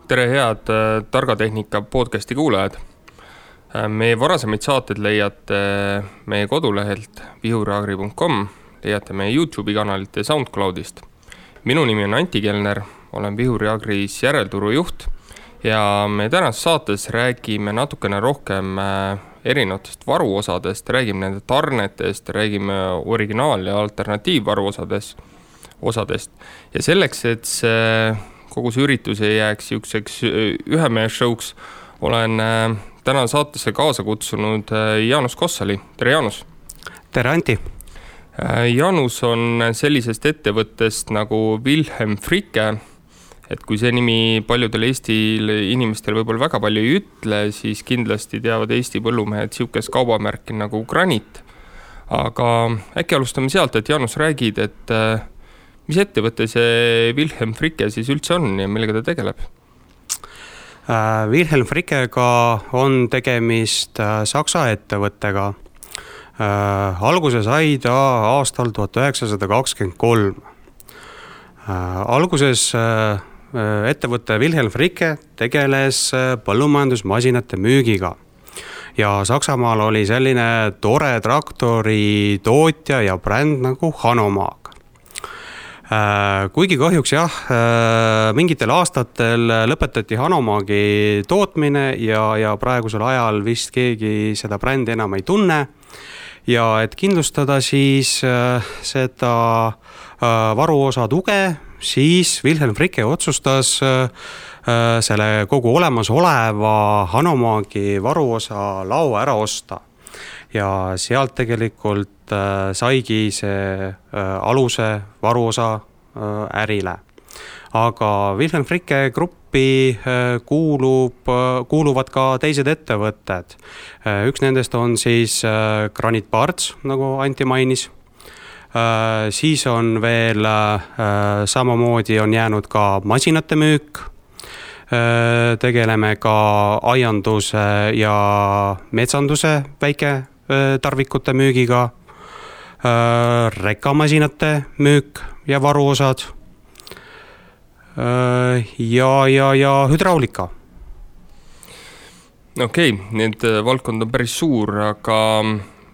Tere head Targa Tehnika podcasti kuulajad. Meie varasemaid saated leiate meie kodulehelt vihuriagri.com, leiate meie YouTube'i kanalilt ja SoundCloudist. Minu nimi on Anti Kelner, olen Vihuriagris järelturu juht ja me tänases saates räägime natukene rohkem erinevatest varuosadest, räägime nende tarnetest, räägime originaal- ja alternatiivvaruosadest. Ja selleks, et kogu see üritus ei jääks jukseks ühemehe showks, olen täna saatesse kaasa kutsunud Jaanus Kossali. Tere Jaanus! Tere Anti! Jaanus on sellisest ettevõttest nagu Wilhelm Fricke, et kui see nimi paljudel Eesti inimestel võib-olla väga palju ei ütle, siis kindlasti teavad Eesti põllumehed siukest kaubamärki nagu Granit. Aga äkki alustame sealt, et Jaanus räägid, et mis ettevõte see Wilhelm Fricke siis üldse on ja millega ta tegeleb? Wilhelm Frickega on tegemist Saksa ettevõttega. Alguse sai ta aastal 1923. Alguses ettevõte Wilhelm Fricke tegeles põllumajandusmasinate müügiga. Ja Saksamaal oli selline tore traktori tootja ja bränd nagu Hanomag. Kuigi kahjuks mingitel aastatel lõpetati Hanomagi tootmine ja praegusel ajal vist keegi seda brändi enam ei tunne. Ja et kindlustada siis seda varuosa tuge, siis Wilhelm Fricke otsustas selle kogu olemasoleva Hanomagi varuosa lao ära osta. Ja sealt tegelikult saigi see aluse varuosa ärile. Aga Wilhelm Fricke gruppi kuuluvad ka teised ettevõtted. Üks nendest on siis Granit Parts, nagu Anti mainis. Siis on veel samamoodi on jäänud ka masinate müük. Tegeleme ka aianduse ja metsanduse väike tarvikute müügiga, rekamasinate müük ja varuosad ja hüdraulika. Okei, need valdkond on päris suur, aga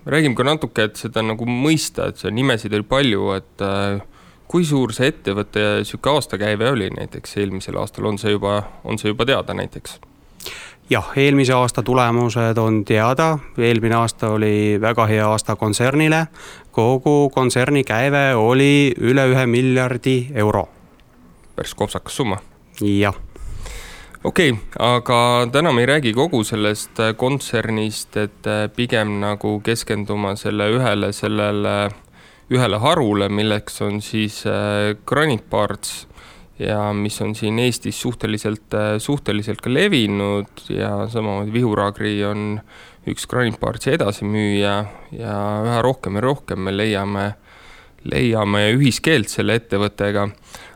räägime ka natuke, et seda nagu mõista, et see nimesid oli palju, et kui suur see ettevõtte ja siuke aastakäive oli näiteks eelmisel aastal, on see juba teada näiteks? Jah, eelmise aasta tulemused on teada. Eelmine aasta oli väga hea aasta kontsernile. Kogu kontserni käive oli üle 1 miljardi euro. Päris kopsakas summa. Jah. Okei, aga täna me ei räägi kogu sellest kontsernist, et pigem nagu keskenduma ühele harule, milleks on siis Granit Parts ja mis on siin Eestis suhteliselt ka levinud ja samamoodi Vihuriagri on üks Granit Partsi edasimüüja ja üha rohkem ja rohkem me leiame ühiskeelt selle ettevõttega.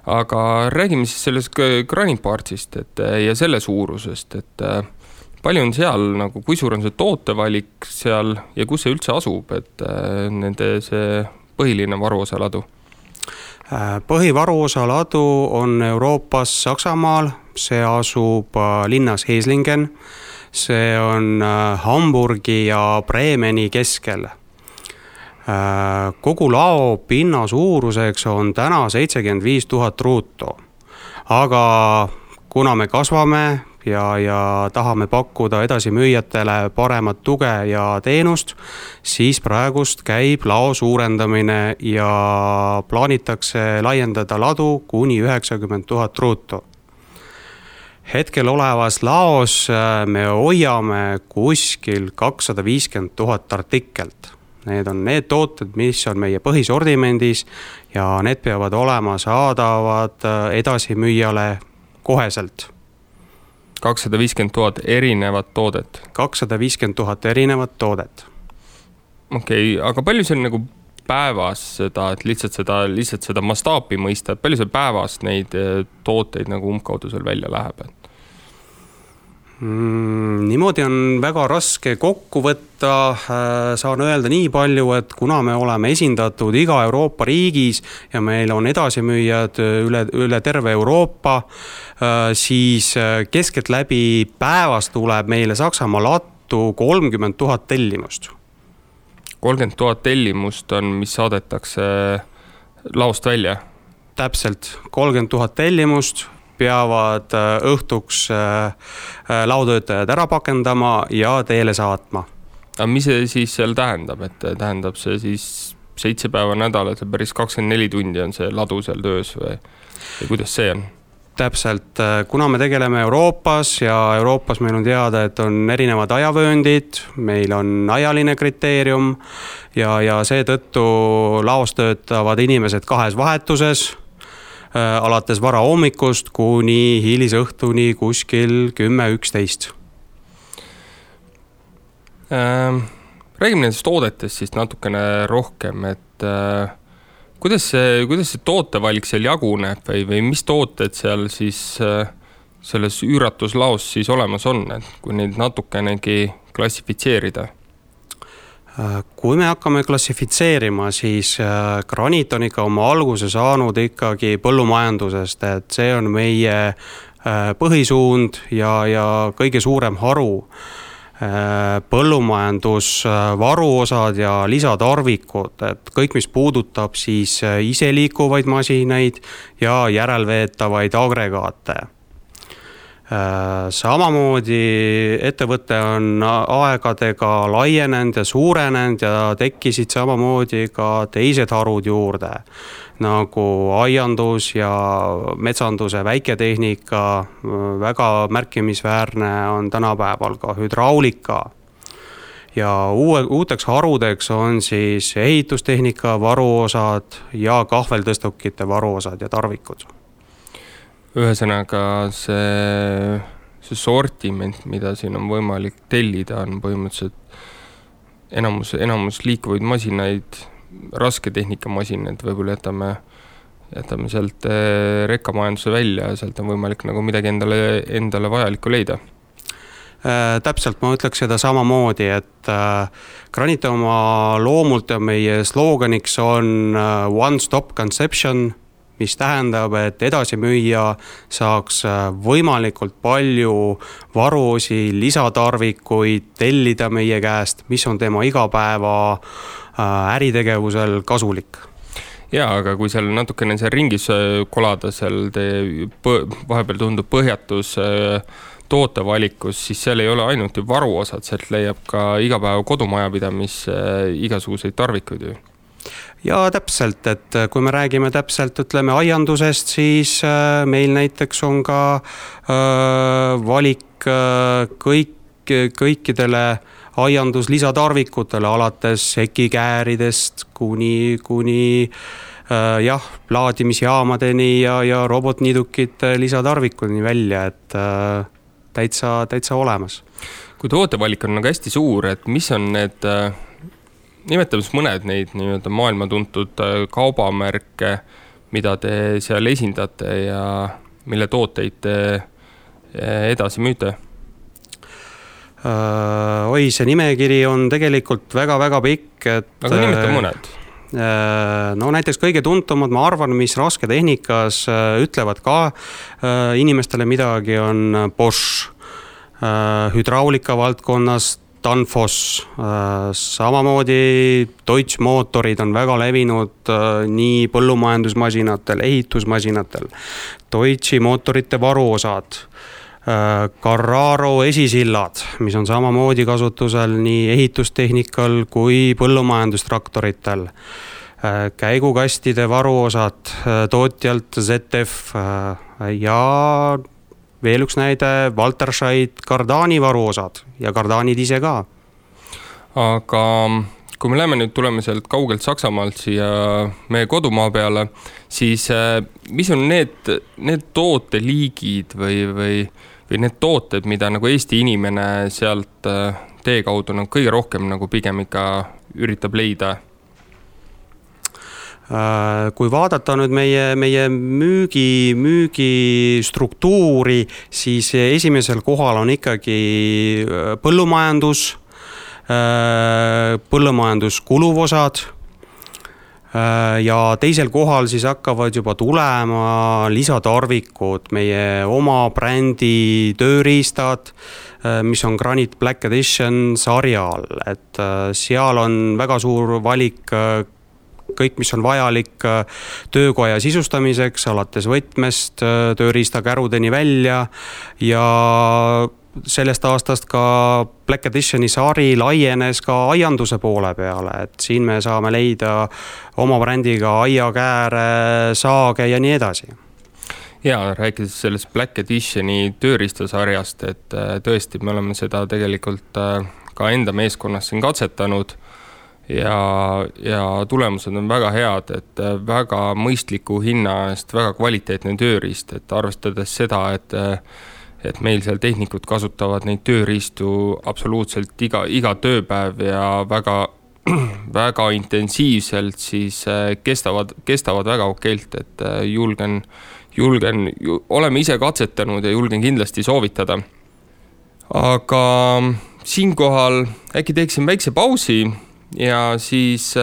Aga räägime siis sellest Granit Partsist ja selle suurusest, et palju on seal, nagu, kui suur on see tootevalik seal ja kus see üldse asub, et nende see põhiline varuosa ladu? Põhivaruosa ladu on Euroopas Saksamaal, see asub linnas Heslingen, see on Hamburgi ja Bremeni keskel. Kogu lao pinna suuruseks on täna 75 000 ruutu, aga kuna me kasvame ja tahame pakkuda edasi müüjatele paremat tuge ja teenust, siis praegust käib lao suurendamine ja plaanitakse laiendada ladu kuni 90 000 ruutu. Hetkel olevas laos me hoiame kuskil 250 000 artikelt. Need on need tooted, mis on meie põhisordimendis ja need peavad olema saadavad edasi müüjale koheselt. 250 000 erinevat toodet. 250 000 erinevat toodet. Okei, aga palju see on nagu päevas seda, et lihtsalt seda mastaapi mõista, et palju see päevas neid tooteid nagu umbkaudu seal välja läheb? Niimoodi on väga raske kokku võtta, saan öelda nii palju, et kuna me oleme esindatud iga Euroopa riigis ja meil on edasimüüjad üle terve Euroopa, siis keskeltläbi päevas tuleb meile Saksamaa lattu 30 000 tellimust. 30 000 tellimust on, mis saadetakse laost välja? Täpselt, 30 000 tellimust peavad õhtuks laotöötajad ära pakendama ja teele saatma. Aga mis see siis seal tähendab, et tähendab see siis 7 päeva nädalas ja päris 24 tundi on see ladu seal töös või kuidas see on? Täpselt, kuna me tegeleme Euroopas ja Euroopas meil on teada, et on erinevad ajavööndid, meil on ajaline kriteerium ja seetõttu laos töötavad inimesed 2 vahetuses, alates vara hommikust kuni hilisõhtuni kuskil 10-11. Räägime nendest toodetest siis natukene rohkem, et kuidas see tootevalik seal jaguneb või mis tooted seal siis selles üüratuslaos siis olemas on, et kui neid natukenegi klassifitseerida? Kui me hakkame klassifitseerima, siis graniit on ikka oma alguse saanud ikkagi põllumajandusest, et see on meie põhisuund ja kõige suurem haru. Põllumajandus, varuosad ja lisatarvikud, et kõik, mis puudutab siis iseliikuvaid masinaid ja järelveetavaid agregaate. Samamoodi ettevõte on aegadega laienenud ja suurenenud ja tekkisid samamoodi ka teised harud juurde, nagu aiandus ja metsanduse väiketehnika, väga märkimisväärne on tänapäeval ka hüdraulika. Ja uuteks harudeks on siis ehitustehnika varuosad ja kahveltõstukite varuosad ja tarvikud. Ühesõnaga see sortiment, mida siin on võimalik tellida, on põhimõtteliselt enamus liikuvaid masinaid, raske tehnikamasinad, võib-olla jätame sealt rekkamajanduse välja ja sealt on võimalik nagu midagi endale vajalikku leida. Täpselt, ma ütleks seda samamoodi, et graniit oma loomult ja meie slooganiks on One Stop Conception, mis tähendab, et edasimüüja saaks võimalikult palju varuosi, lisatarvikuid tellida meie käest, mis on tema igapäeva äritegevusel kasulik. Jaa, aga kui seal natukene seal ringis kolada, seal vahepeal tundub põhjatus tootevalikus, siis seal ei ole ainult ju varuosad, sealt leiab ka igapäeva kodumajapidamis igasuguseid tarvikuid ju. Ja täpselt, et kui me räägime täpselt, ütleme aiandusest, siis meil näiteks on ka valik kõikidele aiandus lisatarvikutele, alates sekikääridest kuni laadimisjaamadeni ja robotniidukite lisatarvikuni välja, et täitsa olemas. Kui tootevalik on nagu hästi suur, et mis on need nimetamas mõned neid nii-öelda maailma tuntud kaubamärke, mida te seal esindate ja mille tooteid te edasi müüte? See nimekiri on tegelikult väga-väga pikk. Aga nimeta mõned? No näiteks kõige tuntumad, ma arvan, mis rasketehnikas ütlevad ka inimestele midagi, on Bosch, hüdraulika valdkonnas Danfoss, samamoodi Deutsche mootorid on väga levinud nii põllumajandusmasinatel, ehitusmasinatel, Deutsche mootorite varuosad, Carraro esisillad, mis on samamoodi kasutusel nii ehitustehnikal kui põllumajandustraktoritel, käigukastide varuosad tootjalt ZF ja veel üks näide, Walterscheid Cardani varuosad ja Cardanid ise ka. Aga kui me tuleme sealt kaugelt Saksamaalt siia meie kodumaa peale, siis mis on need tooteliigid või need tooted, mida nagu Eesti inimene sealt tee kaudu kõige rohkem nagu pigem ikka üritab leida? Kui vaadata nüüd meie müügi struktuuri, siis esimesel kohal on ikkagi põllumajanduskuluvosad ja teisel kohal siis hakkavad juba tulema lisatarvikud, meie oma brändi tööriistad, mis on Granit Black Edition sarjal, et seal on väga suur valik kõik, mis on vajalik töökoja sisustamiseks, alates võtmest, tööriistakärudeni välja ja sellest aastast ka Black Editioni sari laienes ka aianduse poole peale, et siin me saame leida oma brändiga aiakääre, saage ja nii edasi. Ja rääkides sellest Black Editioni tööriistasarjast, et tõesti me oleme seda tegelikult ka enda meeskonnas siin katsetanud ja tulemused on väga head, et väga mõistliku hinna eest väga kvaliteetne tööriist, et arvestades seda, et meil seal tehnikud kasutavad neid tööriistu absoluutselt iga tööpäev ja väga, väga intensiivselt, siis kestavad väga okeilt, et oleme ise katsetanud ja julgen kindlasti soovitada. Aga siinkohal äkki teeksin väikse pausi ja siis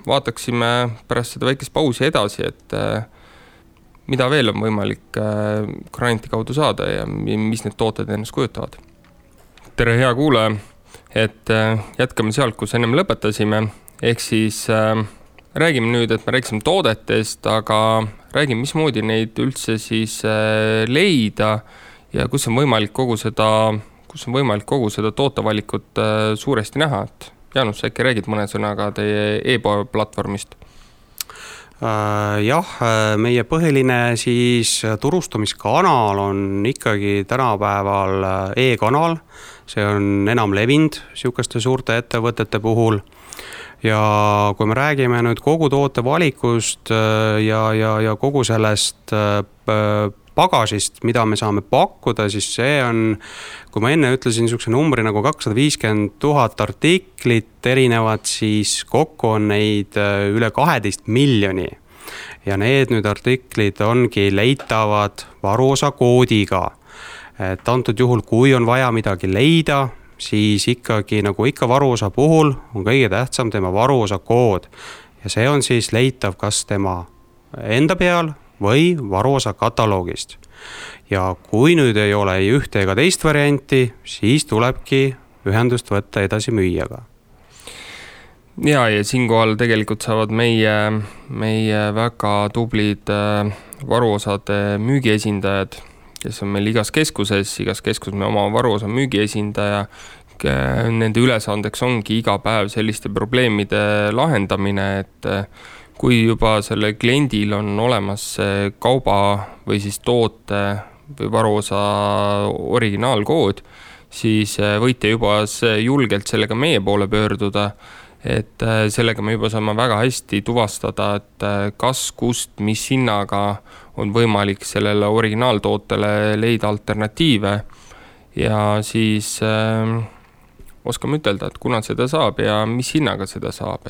vaataksime pärast seda väikest pausi edasi, et mida veel on võimalik Graniti kaudu saada ja mis need tooted ennast kujutavad. Tere hea kuulaja, et jätkame sealt, kus ennem lõpetasime, ehk siis räägime nüüd, et me rääkisime toodetest, aga räägime, mismoodi neid üldse siis leida ja kus on võimalik kogu seda tootevalikut suuresti näha, et Jaanus, äkki räägid mõne sõnaga teie e-poe platvormist? Jah, meie põhiline siis turustamiskanal on ikkagi tänapäeval e-kanal, see on enam levinud sihukeste suurte ettevõtete puhul ja kui me räägime nüüd kogu tootevalikust ja kogu sellest pagasist, mida me saame pakkuda, siis see on, kui ma enne ütlesin niisuguse numbri nagu 250 000 artiklit erinevat, siis kokku on neid üle 12 miljoni. Ja need nüüd artiklid ongi leitavad varuosa koodiga. Et antud juhul, kui on vaja midagi leida, siis ikkagi nagu ikka varuosa puhul on kõige tähtsam tema varuosa kood. Ja see on siis leitav kas tema enda peal või varuosa kataloogist. Ja kui nüüd ei ole ei ühte ega teist varianti, siis tulebki ühendust võtta edasi müüjaga. Ja siinkohal tegelikult saavad meie väga tublid varuosade müügiesindajad, kes on meil igas keskuses me oma varuosa müügiesindaja, nende ülesandeks ongi iga päev selliste probleemide lahendamine, et kui juba selle kliendil on olemas kauba või siis toote või varuosa originaalkood, siis võite juba julgelt sellega meie poole pöörduda, et sellega me juba saame väga hästi tuvastada, et kas, kust, mis hinnaga on võimalik sellele originaaltootele leida alternatiive ja siis oskame ütelda, et kuna seda saab ja mis hinnaga seda saab,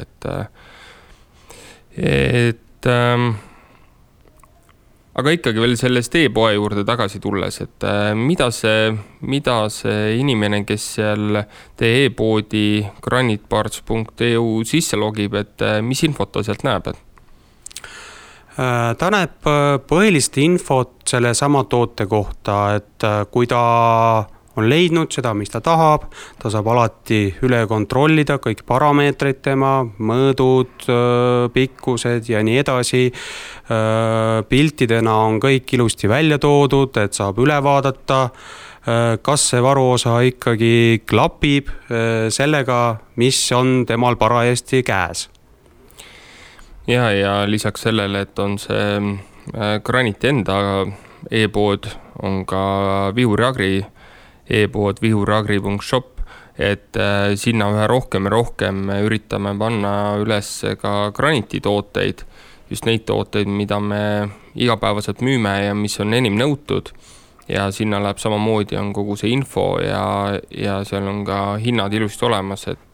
aga ikkagi veel sellest e-poe juurde tagasi tulles, et mida see inimene, kes seal teie e-poodi granitparts.eu sisse logib, et mis infot ta sealt näeb? Ta näeb põhilist infot selle sama toote kohta, et kui ta on leidnud seda, mis ta tahab, ta saab alati üle kontrollida kõik parameetrid tema, mõõdud, pikkused ja nii edasi. Piltidena on kõik ilusti välja toodud, et saab üle vaadata, kas see varuosa ikkagi klapib sellega, mis on temal parajasti käes. Ja lisaks sellele, et on see Graniti enda e-pood, on ka Vihuri Agri e-pood vihuriagri.shop, et sinna ühe rohkem ja rohkem üritame panna üles ka Graniti tooteid, just neid tooteid, mida me igapäevaselt müüme ja mis on enim nõutud ja sinna läheb samamoodi, on kogu see info ja seal on ka hinnad ilusti olemas, et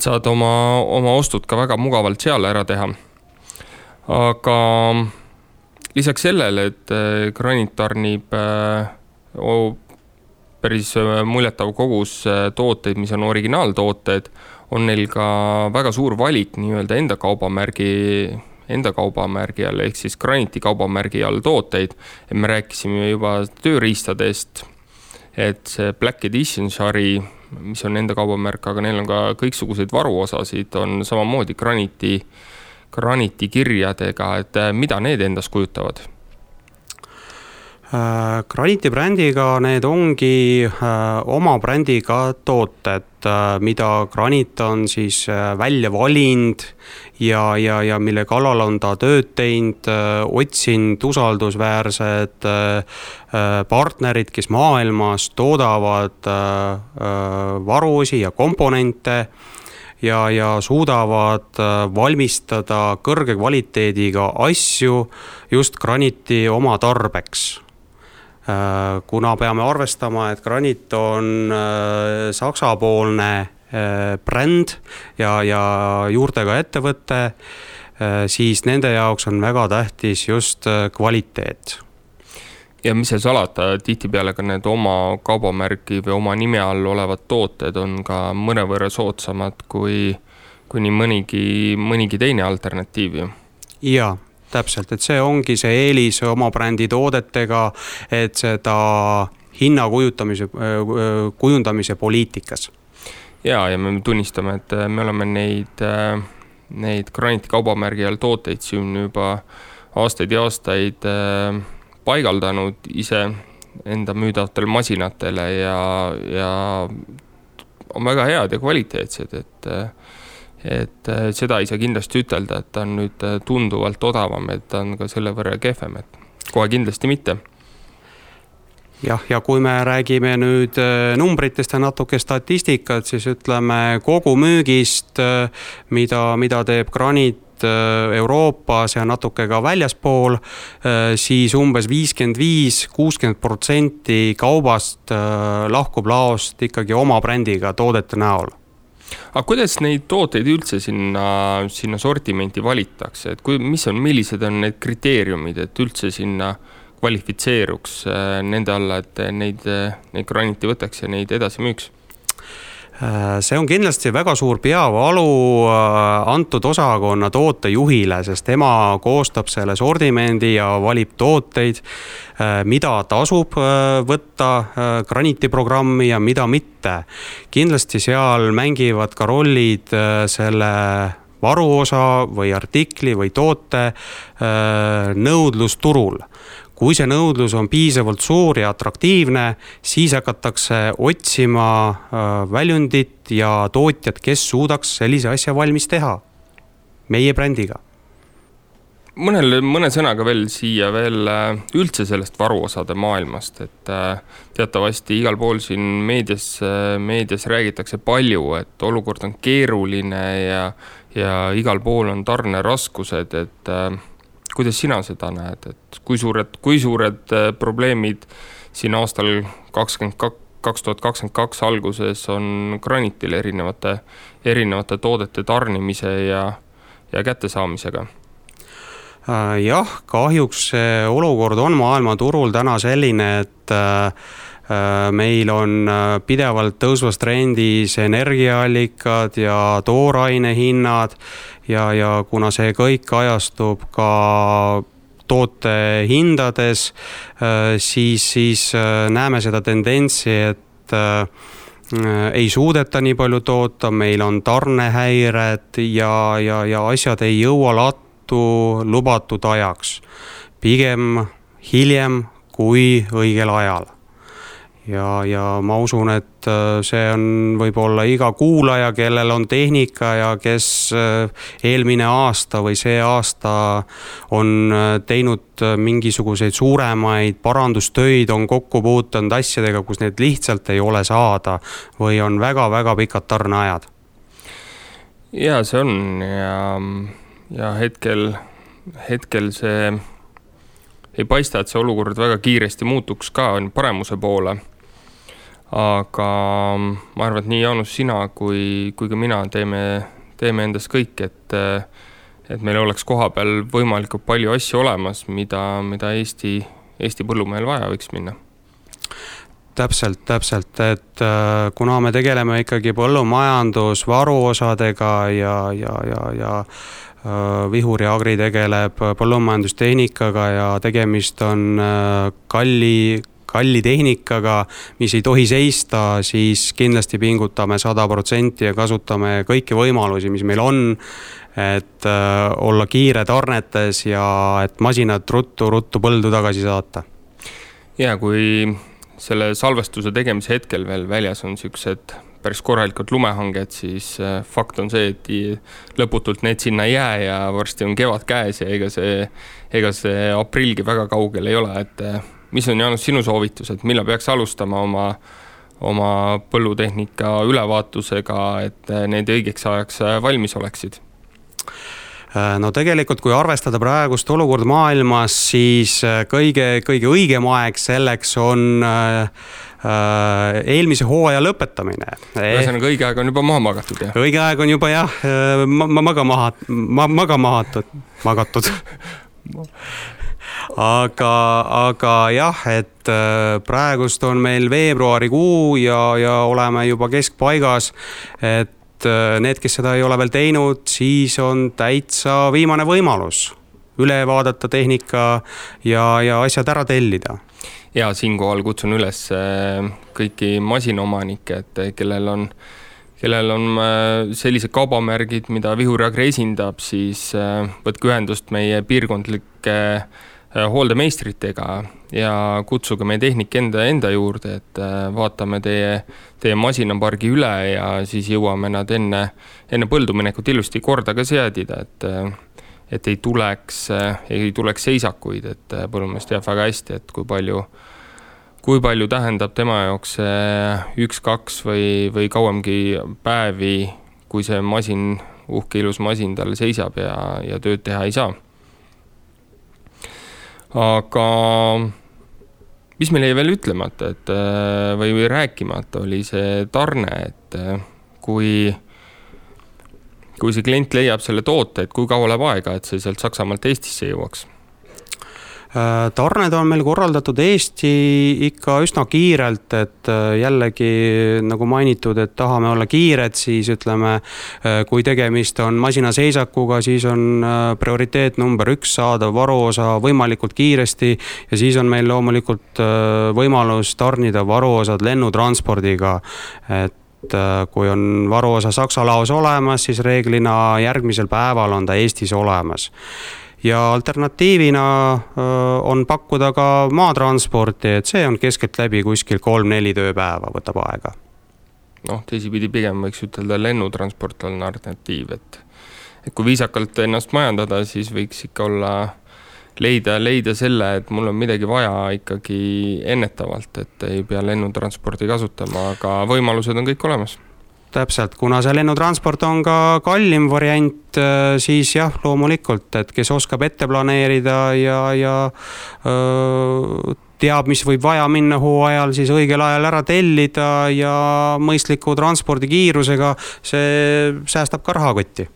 saad oma ostud ka väga mugavalt seal ära teha. aga lisaks sellele, et graniit tarnib päris muljetav kogus tooteid, mis on originaaltooted, on neil ka väga suur valik nii-öelda enda kaubamärgi all, ehk siis graniiti kaubamärgi all tooteid. Et me rääkisime juba tööriistadest, et see Black Edition sari, mis on enda kaubamärk, aga neil on ka kõiksuguseid varuosasid, on samamoodi graniiti kirjadega, et mida need endas kujutavad? Graniiti brändiga need ongi oma brändiga tooted, mida Granit on siis välja valinud ja mille kallal on ta tööd teinud, otsinud usaldusväärsed partnerid, kes maailmas toodavad varuosi ja komponente ja suudavad valmistada kõrge kvaliteediga asju just Graniti oma tarbeks. Kuna peame arvestama, et Granit on saksapoolne bränd ja juurtega ettevõte, siis nende jaoks on väga tähtis just kvaliteet. Ja mis see salata, tihtipeale ka need oma kaubamärgi või oma nime all olevad tooted on ka mõnevõrra soodsamad kui nii mõnigi teine alternatiiv. Jaa. Täpselt, et see ongi see eelis oma brändi toodetega, et seda hinna kujundamise poliitikas. Ja me tunnistame, et me oleme neid Graniti kaubamärgi all tooteid siin juba aastaid ja aastaid paigaldanud ise enda müüdavatele masinatele ja on väga head ja kvaliteetsed, et seda ei saa kindlasti ütelda, et ta on nüüd tunduvalt odavam, et ta on ka selle võrra kehvem, et kohe kindlasti mitte. Ja kui me räägime nüüd numbritest ja natuke statistikat, siis ütleme kogu müügist, mida teeb Granit Euroopas ja natuke ka väljaspool, siis umbes 55-60% kaubast lahkub laost ikkagi oma brändiga toodete näol. Aga kuidas neid tooteid üldse sinna sortimenti valitakse? Et millised on need kriteeriumid, et üldse sinna kvalifitseeruks nende alla, et neid Graniti võtaks ja neid edasi müüks? See on kindlasti väga suur peavalu antud osakonna tootejuhile, sest tema koostab selle sordimendi ja valib tooteid, mida tasub võtta Graniti programmi ja mida mitte. Kindlasti seal mängivad ka rollid selle varuosa või artikli või toote nõudlus turul. Kui see nõudlus on piisavalt suur ja atraktiivne, siis hakatakse otsima väljundit ja tootjat, kes suudaks sellise asja valmis teha meie brändiga. Mõne sõnaga veel siia üldse sellest varuosade maailmast, et teatavasti igal pool siin meedias räägitakse palju, et olukord on keeruline ja igal pool on tarneraskused, et kuidas sina seda näed, et kui suured probleemid siin aastal 2022 alguses on Granitil erinevate toodete tarnimise ja kättesaamisega? Jah, kahjuks see olukord on maailmaturul täna selline, et meil on pidevalt tõusvas trendis energiaallikad ja tooraine hinnad ja kuna see kõik ajastub ka toote hindades, siis näeme seda tendentsi, et ei suudeta nii palju toota, meil on tarnehäired ja asjad ei jõua lattu lubatud ajaks. Pigem hiljem kui õigel ajal. Ja ma usun, et see on võib-olla iga kuulaja, kellel on tehnika ja kes eelmine aasta või see aasta on teinud mingisuguseid suuremaid parandustöid, on kokku puutunud asjadega, kus need lihtsalt ei ole saada või on väga-väga pikad tarneajad. Ja see on ja hetkel see ei paista, et see olukord väga kiiresti muutuks ka paremuse poole. Aga ma arvan, et nii Jaanus, sina kui ka mina teeme endast kõik, et meil oleks koha peal võimalikult palju asju olemas, mida Eesti põllumehel vaja võiks minna. Täpselt, et kuna me tegeleme ikkagi põllumajandus varuosadega ja Vihur ja Agri tegeleb põllumajandustehnikaga ja tegemist on kalli tehnikaga, mis ei tohi seista, siis kindlasti pingutame 100% ja kasutame kõiki võimalusi, mis meil on, et olla kiire tarnetes ja et masinad ruttu põldu tagasi saata. Ja kui selle salvestuse tegemise hetkel veel väljas on siuksed päris korralikult lumehanged, siis fakt on see, et lõputult need sinna ei jää ja varsti on kevad käes ja ega see aprillgi väga kaugel ei ole, et mis on, Jaanus, sinu soovitus, et millal peaks alustama oma põllutehnika ülevaatusega, et need õigeks ajaks valmis oleksid? No tegelikult, kui arvestada praegust olukord maailmas, siis kõige õigem aeg selleks on eelmise hooaja lõpetamine. Ühesõnaga, õige aeg on juba maha magatud, jah? Õige aeg on juba jah, magatud. Aga jah, et praegust on meil veebruarikuu ja oleme juba keskpaigas, et need, kes seda ei ole veel teinud, siis on täitsa viimane võimalus üle vaadata tehnika ja asjad ära tellida. Ja siinkohal kutsun üles kõiki masinaomanikke, et kellel on sellised kaubamärgid, mida Vihur ja Agri esindab, siis võtke ühendust meie piirkondlike hooldemeistritega ja kutsuge meie tehnik enda juurde, et vaatame teie masinapargi üle ja siis jõuame nad enne põlduminekut ilusti korda ka seadida, et ei tuleks seisakuid, et põllumees teab väga hästi, et kui palju tähendab tema jaoks 1-2 või kauemgi päevi, kui see masin, uhke ilus masin tal seisab ja tööd teha ei saa. Aga mis meil jäi veel ütlemata, või rääkimata oli see tarne, et kui see klient leiab selle toote, et kui kaua läheb aega, et see sealt Saksamaalt Eestisse jõuaks? Tarned on meil korraldatud Eesti ikka üsna kiirelt, et jällegi nagu mainitud, et tahame olla kiired, siis ütleme, kui tegemist on masinaseisakuga, siis on prioriteet number 1 saada varuosa võimalikult kiiresti ja siis on meil loomulikult võimalus tarnida varuosad lennutranspordiga, et kui on varuosa Saksa laos olemas, siis reeglina järgmisel päeval on ta Eestis olemas. Ja alternatiivina on pakkuda ka maatransporti, et see on keskelt läbi kuskil 3-4 tööpäeva võtab aega. Teisipidi pigem võiks ütelda lennutransport on alternatiiv, et kui viisakalt ennast majandada, siis võiks ikka olla leida selle, et mul on midagi vaja ikkagi ennetavalt, et ei pea lennutransporti kasutama, aga võimalused on kõik olemas. Täpselt, kuna see lennutransport on ka kallim variant, siis jah, loomulikult, et kes oskab ette planeerida ja teab, mis võib vaja minna hooajal, siis õigel ajal ära tellida ja mõistliku transpordikiirusega, see säästab ka rahakotti.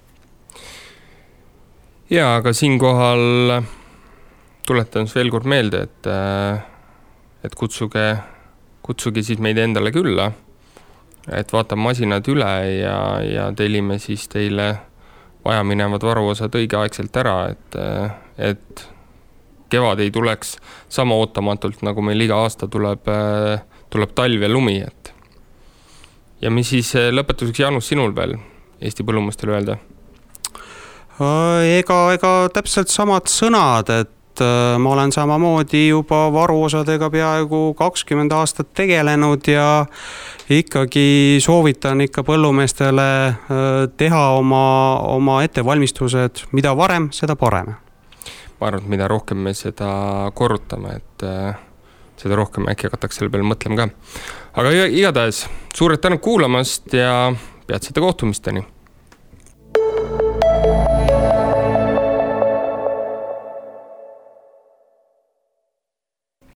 Ja, aga siinkohal tuletan veel kord meelde, et kutsuge siis meid endale külla, et vaatame masinad üle ja tellime siis teile vajaminevad varuosad õigeaegselt ära, et kevad ei tuleks sama ootamatult, nagu meil iga aasta tuleb talv ja lumi. Ja mis siis lõpetuseks, Jaanus, sinul veel Eesti põllumustele öelda? Ega täpselt samad sõnad, et ma olen samamoodi juba varuosadega peaaegu 20 aastat tegelenud ja ikkagi soovitan ikka põllumeestele teha oma ettevalmistused, mida varem, seda parem. Ma arvan, et mida rohkem me seda korrutame, et seda rohkem äkki hakatakse selle peale mõtlema ka. Aga igatahes suured tänud kuulamast ja peatsete kohtumisteni!